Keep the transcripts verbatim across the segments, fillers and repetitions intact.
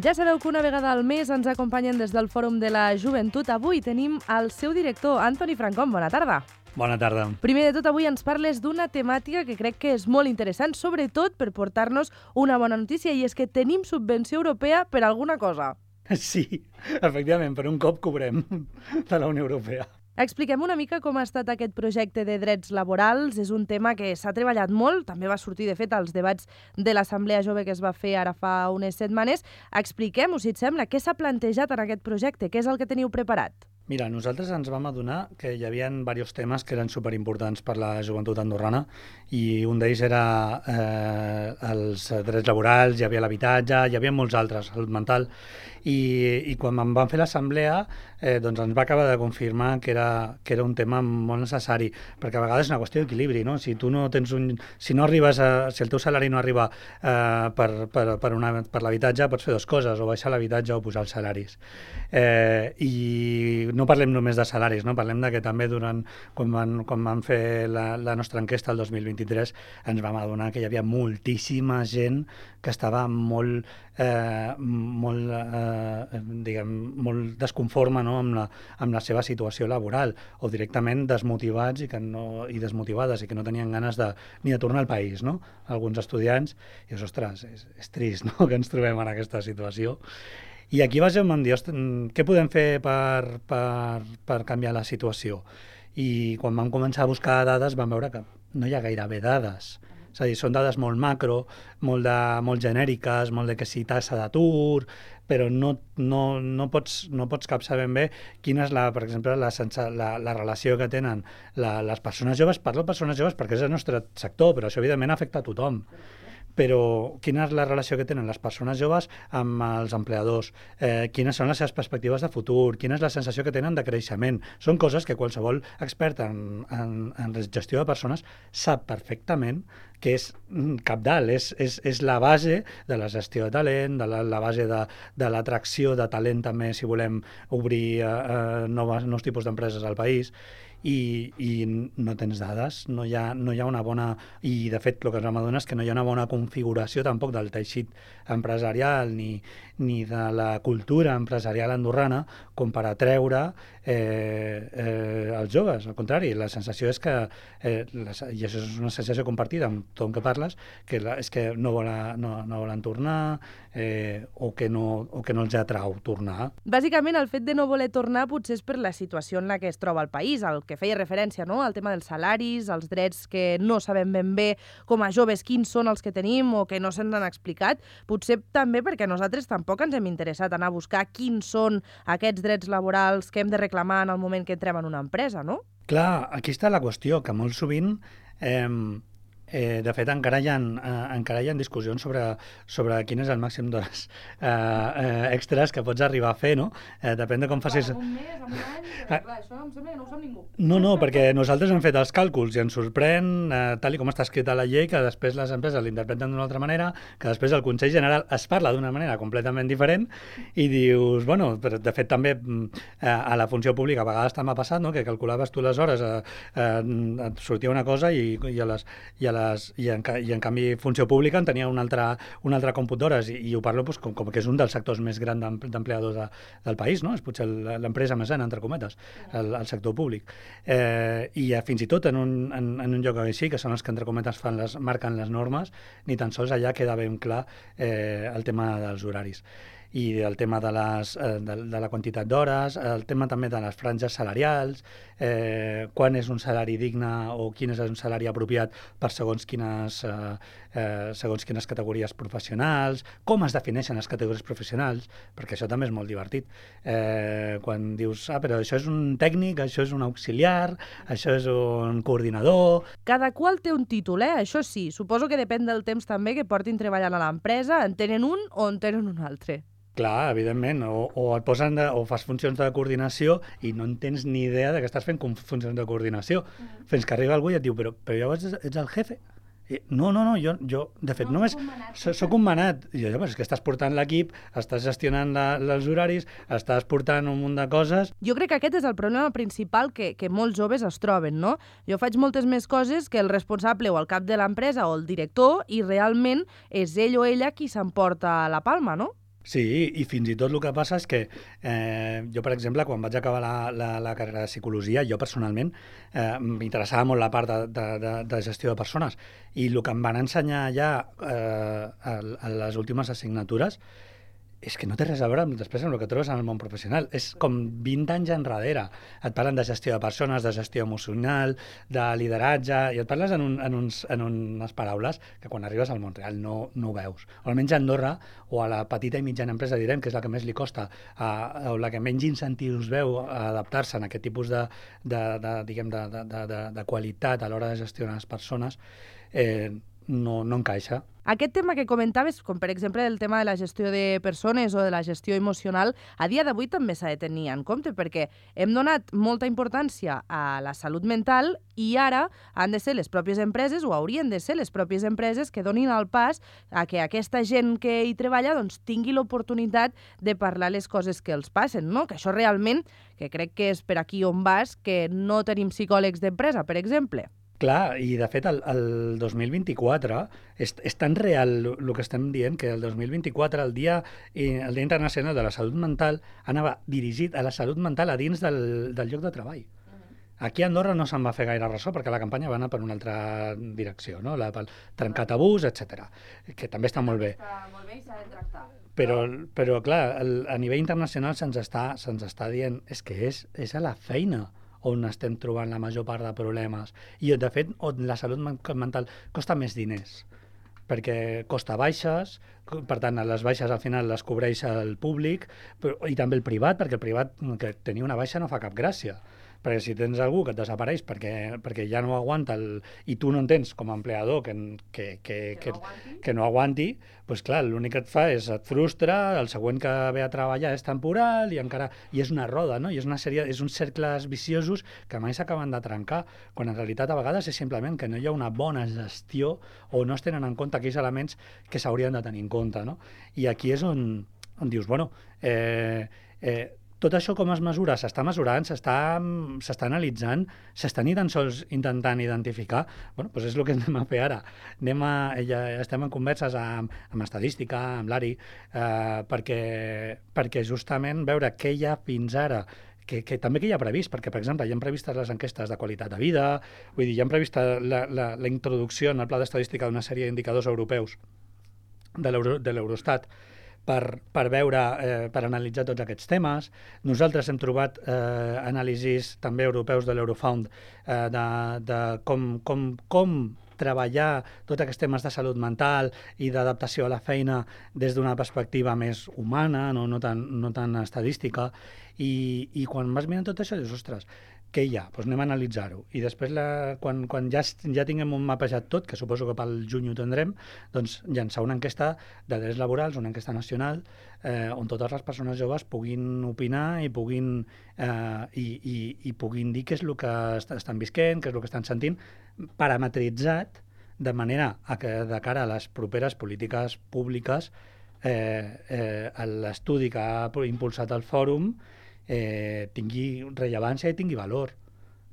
Ja sabeu que una vegada al mes ens acompanyen des del Fòrum de la Joventut. Avui tenim el seu director, Antoni Francón. Bona tarda. Bona tarda. Primer de tot, avui ens parles d'una temàtica que crec que és molt interessant, sobretot per portar-nos una bona notícia, i és que tenim subvenció europea per alguna cosa. Sí, efectivament, per un cop cobrem de la Unió Europea. Expliquem una mica com ha estat aquest projecte de drets laborals. És un tema que s'ha treballat molt, també va sortir, de fet, als debats de l'Assemblea Jove que es va fer ara fa unes setmanes. Expliquem-ho, si et sembla, què s'ha plantejat en aquest projecte, què és el que teniu preparat? Mira, nosaltres ens vam adonar que hi havia diversos temes que eren superimportants per la joventut andorrana, i un d'ells era eh, els drets laborals, hi havia l'habitatge, hi havia molts altres, salut mental, i, i quan em van fer l'assemblea eh, doncs ens va acabar de confirmar que era, que era un tema molt necessari, perquè a vegades és una qüestió d'equilibri, no? Si tu no tens un, si no arribes a, si el teu salari no arriba eh, per, per, per, una, per l'habitatge, pots fer dues coses, o baixar l'habitatge o pujar els salaris. Eh, I no parlem només de salaris, no? Parlem de que també durant, quan van, quan van fer la, la nostra enquesta el dos mil vint-i-tres, ens vam adonar que hi havia moltíssima gent que estava molt, eh, molt, eh, diguem, molt desconforme, no? amb, la, amb la seva situació laboral, o directament desmotivats i, que no, i desmotivades i que no tenien ganes de, ni de tornar al país, no? Alguns estudiants, i és, ostres, és, és trist, no? Que ens trobem en aquesta situació. I aquí vaig dir, què podem fer per, per, per canviar la situació? I quan vam començar a buscar dades vam veure que no hi ha gairebé dades. És a dir, són dades molt macro, molt, de, molt genèriques, molt de que si tassa d'atur, però no, no, no, pots, no pots captar ben bé quina és, la, per exemple, la, la, la relació que tenen la, les persones joves. Parlo de persones joves perquè és el nostre sector, però això evidentment afecta a tothom. Però quina és la relació que tenen les persones joves amb els empleadors, eh, quines són les seves perspectives de futur, quina és la sensació que tenen de creixement. Són coses que qualsevol expert en, en, en gestió de persones sap perfectament que és cabdal, és, és, és la base de la gestió de talent, de la, la base de, de l'atracció de talent també, si volem obrir eh, noves, nous tipus d'empreses al país. I, i no tens dades, no hi, ha, no hi ha una bona... I, de fet, el que ens vam adonar és que no hi ha una bona configuració tampoc del teixit empresarial ni, ni de la cultura empresarial andorrana com per atreure eh, eh, els joves. Al contrari, la sensació és que, eh, la, i això és una sensació compartida amb tothom que parles, que la, és que no volen, no, no volen tornar eh, o, que no, o que no els atrau tornar. Bàsicament, el fet de no voler tornar potser és per la situació en la que es troba el país, el que feia referència, no? Al tema dels salaris, els drets que no sabem ben bé com a joves quins són els que tenim o que no se'ns han explicat. Potser també perquè nosaltres tampoc ens hem interessat en anar a buscar quins són aquests drets laborals que hem de reclamar en el moment que entrem en una empresa, no? Clar, aquí està la qüestió, que molt sovint... Eh, Eh, de fet, encara hi ha, eh, encara hi ha discussions sobre, sobre quin és el màxim d'hores eh, eh, extres que pots arribar a fer, no? Eh, depèn de com facis... Clar, un mes, un any... Eh, clar, això em sembla que no ho sap ningú. No, no, perquè nosaltres hem fet els càlculs i ens sorprèn, eh, tal i com està escrita la llei, que després les empreses l'interpreten d'una altra manera, que després el Consell General es parla d'una manera completament diferent, i dius, bueno, però de fet també eh, a la funció pública a vegades també ha passat, no?, que calculaves tu les hores, eh, eh, et sortia una cosa i, i a les... I a les I en, i en canvi funció pública en tenia un altre, un altre còmput d'hores, i, i ho parlo doncs, com, com que és un dels sectors més grans d'empleadors de, del país, no? És potser l'empresa més gran, entre cometes, el, el sector públic. Eh, I fins i tot en un, en, en un lloc així, que són els que entre cometes fan les, marquen les normes, ni tan sols allà queda ben clar eh, el tema dels horaris i el tema de, les, de, de la quantitat d'hores, el tema també de les franges salarials, eh, quan és un salari digne o quin és un salari apropiat per segons quines, eh, eh, segons quines categories professionals, com es defineixen les categories professionals, perquè això també és molt divertit. Eh, quan dius, ah, però això és un tècnic, això és un auxiliar, això és un coordinador... Cada qual té un títol, eh? Això sí, suposo que depèn del temps també que portin treballant a l'empresa, en tenen un o en tenen un altre. Clar, evidentment, o, o et posen de, o fas funcions de coordinació i no en tens ni idea de que estàs fent funcions de coordinació, mm. fins que arriba algú i et diu, però, però llavors ets el jefe? I, no, no, no, jo, jo de fet, no, només soc un manat. I jo, però és que estàs portant l'equip, estàs gestionant la, els horaris, estàs portant un munt de coses... Jo crec que aquest és el problema principal que, que molts joves es troben, no? Jo faig moltes més coses que el responsable o el cap de l'empresa o el director, i realment és ell o ella qui s'emporta la palma, no? Sí, i fins i tot el que passa és que eh, jo, per exemple, quan vaig acabar la, la, la carrera de psicologia, jo personalment eh, m'interessava molt la part de, de, de, de gestió de persones, i el que em van ensenyar ja eh, a, a les últimes assignatures és que no té res a veure amb, després amb el que trobes en el món professional. És com vint anys enrere. Et parlen de gestió de persones, de gestió emocional, de lideratge, i et parles en, un, en, uns, en unes paraules que quan arribes al món real no, no ho veus. O almenys a Andorra, o a la petita i mitjana empresa, direm, que és la que més li costa, a, o la que menys incentius veu a adaptar-se a aquest tipus de, de, de, diguem, de, de, de, de qualitat a l'hora de gestionar les persones, eh, no, no encaixa. Aquest tema que comentaves, com per exemple el tema de la gestió de persones o de la gestió emocional, a dia d'avui també s'ha de tenir en compte, perquè hem donat molta importància a la salut mental i ara han de ser les pròpies empreses, o haurien de ser les pròpies empreses, que donin el pas a que aquesta gent que hi treballa doncs, tingui l'oportunitat de parlar les coses que els passen, no? Que això realment, que crec que és per aquí on vas, que no tenim psicòlegs d'empresa, per exemple. Clar, i de fet el, el dos mil vint-i-quatre és, és tan real el que estem dient que el dos mil vint-i-quatre, el dia, el dia Internacional de la Salut Mental, anava dirigit a la salut mental a dins del, del lloc de treball. Aquí a Andorra no se'n va fer gaire ressò perquè la campanya va anar per una altra direcció, no? La, pel trencar tabús, etcètera, que també està molt bé. Està molt bé i s'ha de tractar. Però, però clar, el, a nivell internacional se'ns està, se'ns està dient és que és, és a la feina on estem trobant la major part de problemes. I, de fet, on la salut mental costa més diners, perquè costa baixes, per tant, les baixes al final les cobreix el públic, però, i també el privat, perquè el privat, que tenir una baixa no fa cap gràcia. Perquè si tens algú que et desapareix perquè, perquè ja no aguanta el, i tu no en tens com a empleador que, que, que, que, que, que no aguanti, doncs clar, l'únic que et fa és et frustra, el següent que ve a treballar és temporal i encara i és una roda, no? I és una sèrie, és uns cercles viciosos que mai s'acaben de trencar, quan en realitat a vegades és simplement que no hi ha una bona gestió o no es tenen en compte aquells elements que s'haurien de tenir en compte, no? I aquí és on, on dius, bueno, eh, eh, tot això com es mesura? S'està mesurant, s'està analitzant, s'està ni tan sols intentant identificar. Bueno, doncs és el que anem a fer ara. Anem a, ja estem en converses amb, amb estadística, amb l'A R I, eh, perquè, perquè justament veure què hi ha fins ara, que, que també que hi ha previst, perquè, per exemple, hi ha previstes les enquestes de qualitat de vida, vull dir, hi ha prevista la, la, la introducció en el pla d'estadística d'una sèrie d'indicadors europeus de l'Eurostat, per, per veure, eh, per analitzar tots aquests temes. Nosaltres hem trobat eh, anàlisis també europeus de l'Eurofound eh, de, de com, com, com treballar tots aquests temes de salut mental i d'adaptació a la feina des d'una perspectiva més humana, no, no, tan, no tan estadística, i, i quan vas mirant tot això dius, ostres, què hi ha? Doncs anem a analitzar-ho. I després, la, quan, quan ja, ja tinguem un mapejat tot, que suposo que pel juny ho tindrem, doncs llançar una enquesta de drets laborals, una enquesta nacional, eh, on totes les persones joves puguin opinar i puguin, eh, i, i, i puguin dir què és el que est estan visquent, què és el que estan sentint, parametritzat de manera a que de cara a les properes polítiques públiques eh, eh, l'estudi que ha impulsat el fòrum Eh, tingui rellevància i tingui valor,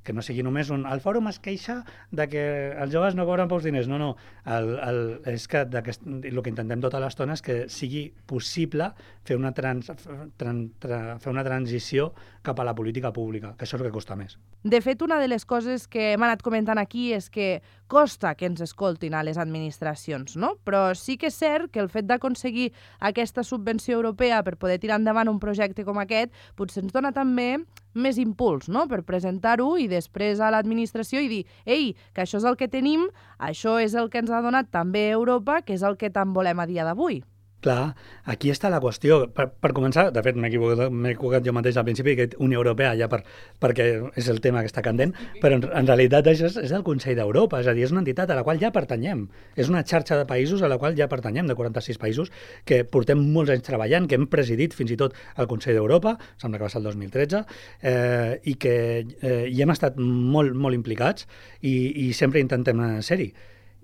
que no sigui només un... El fòrum es queixa de que els joves no cobren pocs diners, no, no, el, el, és que el que intentem tota l'estona és que sigui possible fer una, trans, tran, tra, fer una transició cap a la política pública, que això és el que costa més. De fet, una de les coses que hem anat comentant aquí és que costa que ens escoltin a les administracions, no? Però sí que és cert que el fet d'aconseguir aquesta subvenció europea per poder tirar endavant un projecte com aquest potser ens dona també més impuls, no?, per presentar-ho i després a l'administració i dir, ei, que això és el que tenim, això és el que ens ha donat també Europa, que és el que tant volem a dia d'avui. Clar, aquí està la qüestió. Per, per començar, de fet, m'he equivocat, m'he equivocat jo mateix al principi, que Unió Europea ja per, perquè és el tema que està candent, però en, en realitat això és, és el Consell d'Europa, és a dir, és una entitat a la qual ja pertanyem. És una xarxa de països a la qual ja pertanyem, de quaranta-sis països, que portem molts anys treballant, que hem presidit fins i tot el Consell d'Europa, sembla que va ser el dos mil tretze, eh, i que eh, hi hem estat molt, molt implicats i, i sempre intentem ser-hi.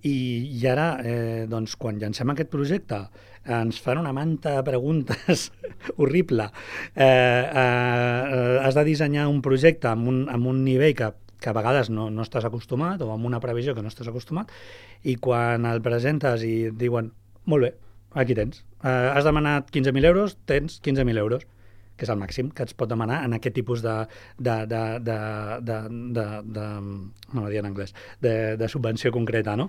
I, i ara, eh, doncs, quan llancem aquest projecte, ens fan una manta de preguntes horrible. Eh, eh, has de dissenyar un projecte amb un, amb un nivell que, que a vegades no, no estàs acostumat, o amb una previsió que no estàs acostumat, i quan el presentes i et diuen, molt bé, aquí tens. Uh, has demanat quinze mil euros, tens quinze mil euros, que és el màxim que et pot demanar en aquest tipus de, de, de, de, de, de, de no ho dir en anglès, de, de subvenció concreta, no?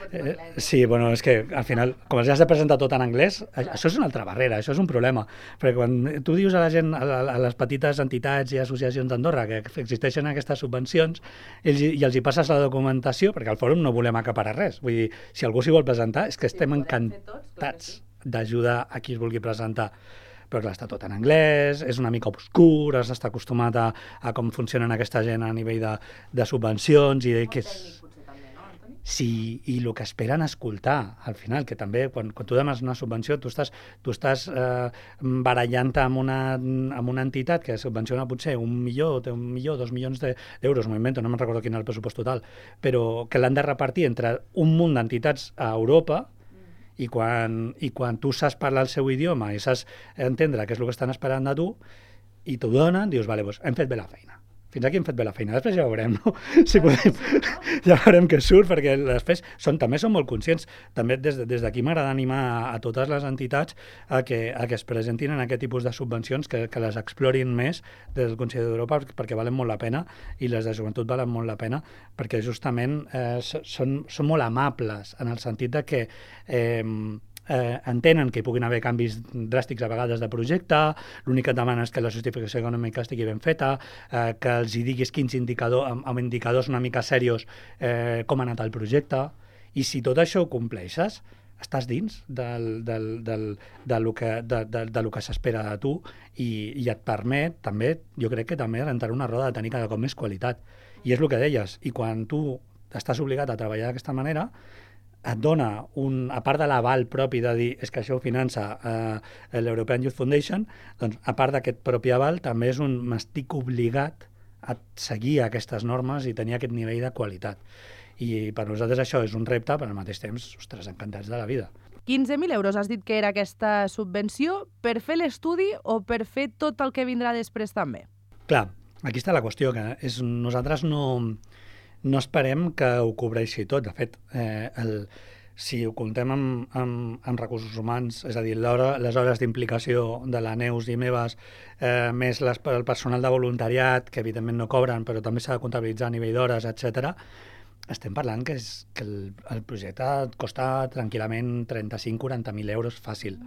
Eh, sí, bueno, és que al final, com els has de presentar tot en anglès, això és una altra barrera, això és un problema, perquè quan tu dius a la gent, a, a les petites entitats i associacions d'Andorra que existeixen aquestes subvencions, ells, i els hi passes la documentació, perquè al fòrum no volem acaparar res, vull dir, si algú s'hi vol presentar, és que estem sí, encantats d'ajudar a qui es vulgui presentar. Però clar, està tot en anglès, és una mica obscur, has d'estar acostumat a, a com funcionen aquesta gent a nivell de, de subvencions i de que és... Sí, i el que esperen escoltar, al final, que també, quan, quan tu demanes una subvenció, tu estàs, tu estàs eh, barallant-te amb una, amb una entitat que subvenciona potser un milió, té un milió, dos milions d'euros, m'ho invento, no me'n recordo quin és el pressupost total, però que l'han de repartir entre un munt d'entitats a Europa. I quan, i quan tu saps parlar el seu idioma i saps entendre què és el que estan esperant de tu i t'ho donen, dius, vale, doncs hem fet bé la feina. Fins aquí hem fet bé la feina. Després ja veurem, no? Si podem, ja veurem què surt, perquè després són, també són molt conscients. També des, des d'aquí m'agrada animar a, a totes les entitats a que, a que es presentin en aquest tipus de subvencions, que, que les explorin més des del Consell d'Europa, perquè valen molt la pena, i les de joventut valen molt la pena, perquè justament eh, són, són molt amables, en el sentit de que eh, Eh, entenen que hi puguin haver canvis dràstics a vegades de projecte, l'únic que et demana és que la justificació econòmica estigui ben feta, eh, que els hi diguis quins indicadors, amb, amb indicadors una mica serios, eh, com ha anat el projecte, i si tot això ho compleixes, estàs dins del, del, del, de lo que, de, de, de lo que s'espera de tu i, i et permet també, jo crec que també entrar una roda de tenir cada cop més qualitat. I és el que deies, i quan tu estàs obligat a treballar d'aquesta manera, et dona, un, a part de l'aval propi de dir és que això ho finança eh, l'European Youth Foundation, doncs a part d'aquest propi aval també és un m'estic obligat a seguir aquestes normes i tenir aquest nivell de qualitat. I per nosaltres això és un repte, però al mateix temps, ostres, encantats de la vida. quinze mil euros has dit que era aquesta subvenció per fer l'estudi o per fer tot el que vindrà després també? Clar, aquí està la qüestió, que és, nosaltres no... no esperem que ho cobreixi tot. De fet, eh, el, si ho comptem amb, amb, amb recursos humans, és a dir, les hores d'implicació de la Neus i meves, eh, més les, el personal de voluntariat, que evidentment no cobren, però també s'ha de comptabilitzar a nivell d'hores, etcètera, estem parlant que, és, que el, el projecte et costa tranquil·lament trenta-cinc a quaranta mil euros fàcil.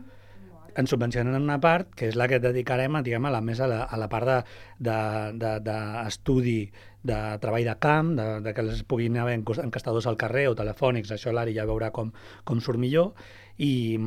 Ens subvencionen una part, que és la que dedicarem a, diguem, a la més a la, a la part d'estudi, de, de, de, de treball de camp, de, de que les puguin haver encastadors al carrer o telefònics, això l'Ari ja veurà com, com surt millor, i,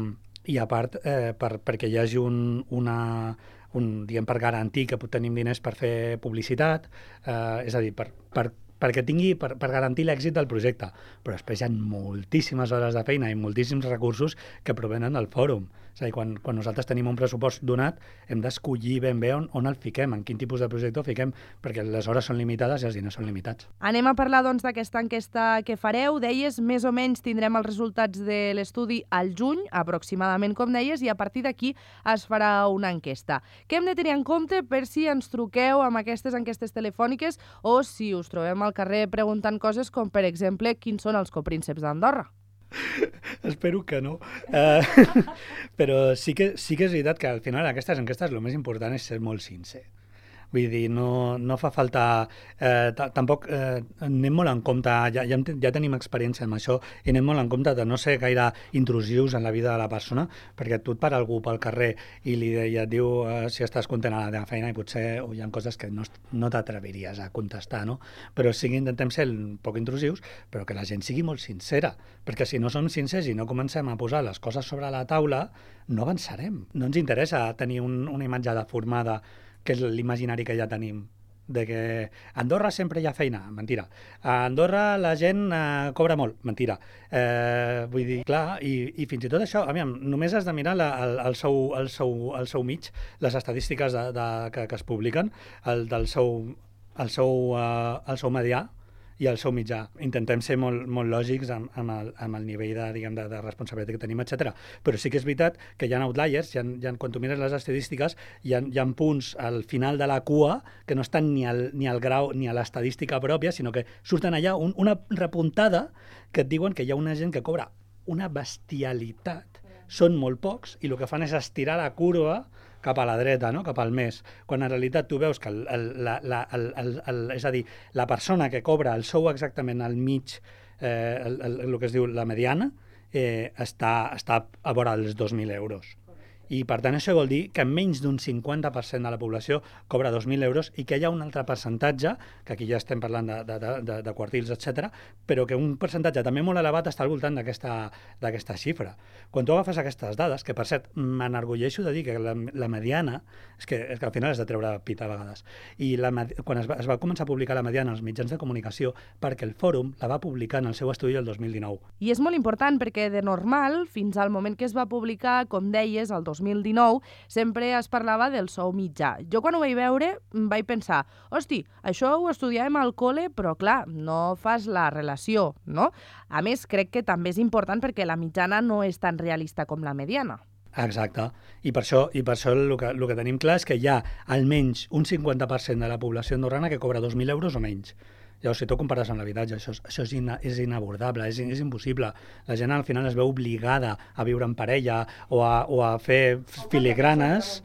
i a part eh, per, perquè hi hagi un, una, un, diguem, per garantir que tenim diners per fer publicitat, eh, és a dir, per, per perquè tingui, per, per garantir l'èxit del projecte. Però després hi ha moltíssimes hores de feina i moltíssims recursos que provenen del fòrum. És a dir, quan, quan nosaltres tenim un pressupost donat, hem d'escollir ben bé on, on el fiquem, en quin tipus de projecte ho fiquem, perquè les hores són limitades i els diners són limitats. Anem a parlar, doncs, d'aquesta enquesta que fareu. Deies, més o menys tindrem els resultats de l'estudi al juny, aproximadament, com deies, i a partir d'aquí es farà una enquesta. Què hem de tenir en compte per si ens truqueu amb aquestes enquestes telefòniques o si us trobem al carrer preguntant coses com, per exemple, quins són els coprínceps d'Andorra? Espero que no. Uh, però sí que, sí que és veritat que al final aquestes enquestes el més important és ser molt sincer. Vull dir, no, no fa falta... Eh, tampoc eh, anem molt en compte, ja, ja, ja tenim experiència amb això, i anem molt en compte de no ser gaire intrusius en la vida de la persona, perquè tu et para algú pel carrer i li i et diu eh, si estàs content a la teva feina i potser oh, hi ha coses que no, no t'atreviries a contestar, no? Però sí que intentem ser un poc intrusius, però que la gent sigui molt sincera, perquè si no som sincers i no comencem a posar les coses sobre la taula, no avançarem. No ens interessa tenir un, una imatge deformada, que és l'imaginari que ja tenim, de que a Andorra sempre hi ha feina, mentira. A Andorra la gent eh, cobra molt, mentira. Eh, vull dir, clar, i, i fins i tot això, aviam, només has de mirar la, el, el, seu, el, seu, el seu mig, les estadístiques de, de, que, que es publiquen, el del seu, el seu, uh, el seu medià, i el seu mitjà. Intentem ser molt, molt lògics amb, amb, el, amb el nivell de, diguem, de, de responsabilitat que tenim, etcètera. Però sí que és veritat que hi ha outliers, hi ha, hi ha, quan tu mires les estadístiques, hi ha, hi ha punts al final de la cua que no estan ni al, ni al grau ni a l'estadística pròpia, sinó que surten allà un, una repuntada que et diuen que hi ha una gent que cobra una bestialitat són molt pocs i el que fan és estirar la curva cap a la dreta, no? Cap al mes, quan en realitat tu veus que el, el, la, la, el, el, el, és a dir, la persona que cobra el sou exactament al mig, eh, el, el, el que es diu la mediana, eh, està, està a vora dels dos mil euros. I, per tant, això vol dir que menys d'un cinquanta per cent de la població cobra dos mil euros i que hi ha un altre percentatge, que aquí ja estem parlant de, de, de, de quartils, etcètera, però que un percentatge també molt elevat està al voltant d'aquesta xifra. Quan tu agafes aquestes dades, que per cert, m'enorgulleixo de dir que la, la mediana, és que, és que al final has de treure pit a vegades, i la, quan es va, es va començar a publicar la mediana als mitjans de comunicació, perquè el Fòrum la va publicar en el seu estudi el dos mil dinou. I és molt important perquè, de normal, fins al moment que es va publicar, com deies, el dos mil dinou, sempre es parlava del sou mitjà. Jo quan ho vaig veure vaig pensar, hosti, això ho estudiàvem al col·le, però clar, no fas la relació, no? A més, crec que també és important perquè la mitjana no és tan realista com la mediana. Exacte, i per això, i per això el, que, el que tenim clar és que hi ha almenys un cinquanta per cent de la població andorrana que cobra dos mil euros o menys. Llavors, si tu compares amb l'habitatge, això, això és, ina, és inabordable, és, és impossible. La gent al final es veu obligada a viure en parella o a, o a fer filigranes.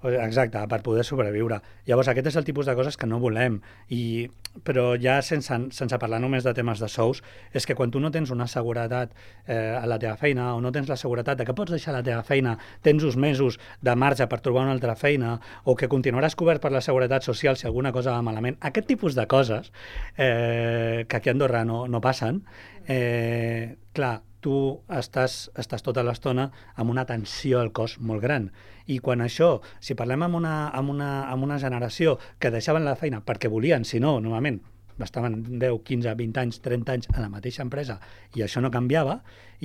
Exacte, per poder sobreviure. Llavors, aquest és el tipus de coses que no volem. I, però ja sense, sense parlar només de temes de sous, és que quan tu no tens una seguretat eh, a la teva feina o no tens la seguretat de que pots deixar la teva feina, tens uns mesos de marge per trobar una altra feina o que continuaràs cobert per la seguretat social si alguna cosa va malament, aquest tipus de coses eh, que aquí a Andorra no, no passen, eh, clar, tu estàs, estàs tota l'estona amb una tensió al cos molt gran. I quan això, si parlem amb una, amb una, amb una generació que deixaven la feina perquè volien, si no, normalment estaven deu, quinze, vint anys, trenta anys a la mateixa empresa i això no canviava,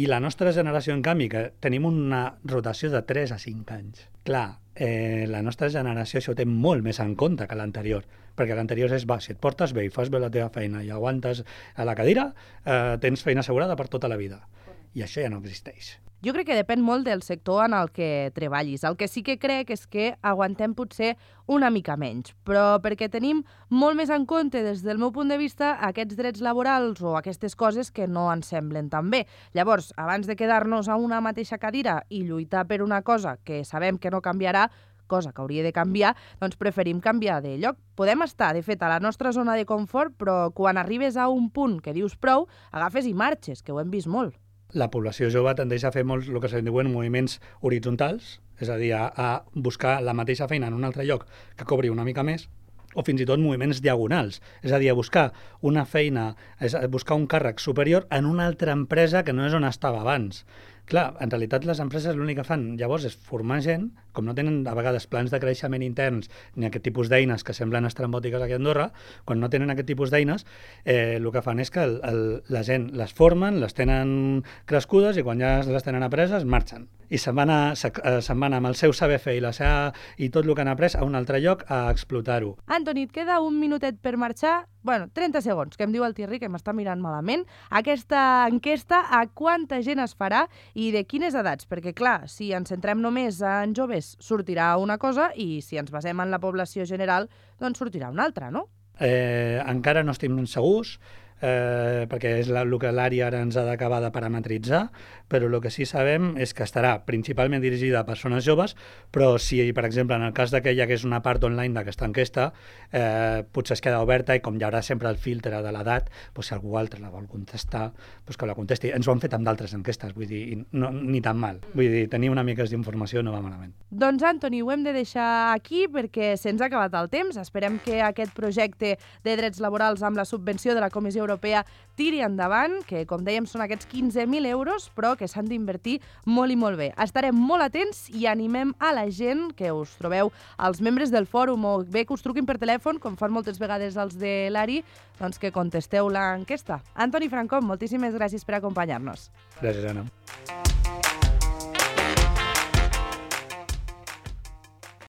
i la nostra generació, en canvi, que tenim una rotació de tres a cinc anys. Clar, eh, la nostra generació això ho té molt més en compte que l'anterior, perquè l'anterior és, va, si et portes bé i fas bé la teva feina i aguantes a la cadira, eh, tens feina assegurada per tota la vida. I això ja no existeix. Jo crec que depèn molt del sector en el que treballis. El que sí que crec és que aguantem potser una mica menys, però perquè tenim molt més en compte, des del meu punt de vista, aquests drets laborals o aquestes coses que no ens semblen tan bé. Llavors, abans de quedar-nos a una mateixa cadira i lluitar per una cosa que sabem que no canviarà, cosa que hauria de canviar, doncs preferim canviar de lloc. Podem estar, de fet, a la nostra zona de confort, però quan arribes a un punt que dius prou, agafes i marxes, que ho hem vist molt. La població jove tendeix a fer molts, el que se'n diuen moviments horitzontals, és a dir, a, a buscar la mateixa feina en un altre lloc que cobri una mica més, o fins i tot moviments diagonals, és a dir, a buscar una feina, és a buscar un càrrec superior en una altra empresa que no és on estava abans. Clar, en realitat les empreses l'únic que fan llavors és formar gent, com no tenen a vegades plans de creixement interns ni aquest tipus d'eines que semblen estrambòtiques aquí a Andorra, quan no tenen aquest tipus d'eines, eh, el que fan és que el, el, la gent les formen, les tenen crescudes i quan ja les tenen apreses marxen. I se'n van, a, se, se'n van amb el seu saber fer i, la seva, i tot el que han après a un altre lloc a explotar-ho. Antoni, et queda un minutet per marxar. Bueno, trenta segons, que em diu el Thierry, que m'està mirant malament. Aquesta enquesta, a quanta gent es farà i de quines edats? Perquè, clar, si ens centrem només en joves, sortirà una cosa, i si ens basem en la població general, doncs sortirà una altra, no? Eh, encara no estem segurs, eh, perquè és la, el que l'àrea ara ens ha d'acabar de parametritzar, però el que sí sabem és que estarà principalment dirigida a persones joves, però si, per exemple, en el cas que hi hagués una part online d'aquesta enquesta, eh, potser es queda oberta i com hi haurà sempre el filtre de l'edat, doncs si algú altre la vol contestar, doncs que la contesti. Ens ho han fet amb d'altres enquestes, vull dir, no, ni tan mal. Vull dir, tenir una mica d'informació no va malament. Doncs, Antoni, ho hem de deixar aquí perquè se'ns ha acabat el temps. Esperem que aquest projecte de drets laborals amb la subvenció de la Comissió Europea tiri endavant, que, com dèiem, són aquests quinze mil euros, però que s'han d'invertir molt i molt bé. Estarem molt atents i animem a la gent que us trobeu, als membres del fòrum, o bé que us truquin per telèfon, com fan moltes vegades els de l'A R I, doncs que contesteu l'enquesta. Antoni Francom, moltíssimes gràcies per acompanyar-nos. Gràcies, Anna.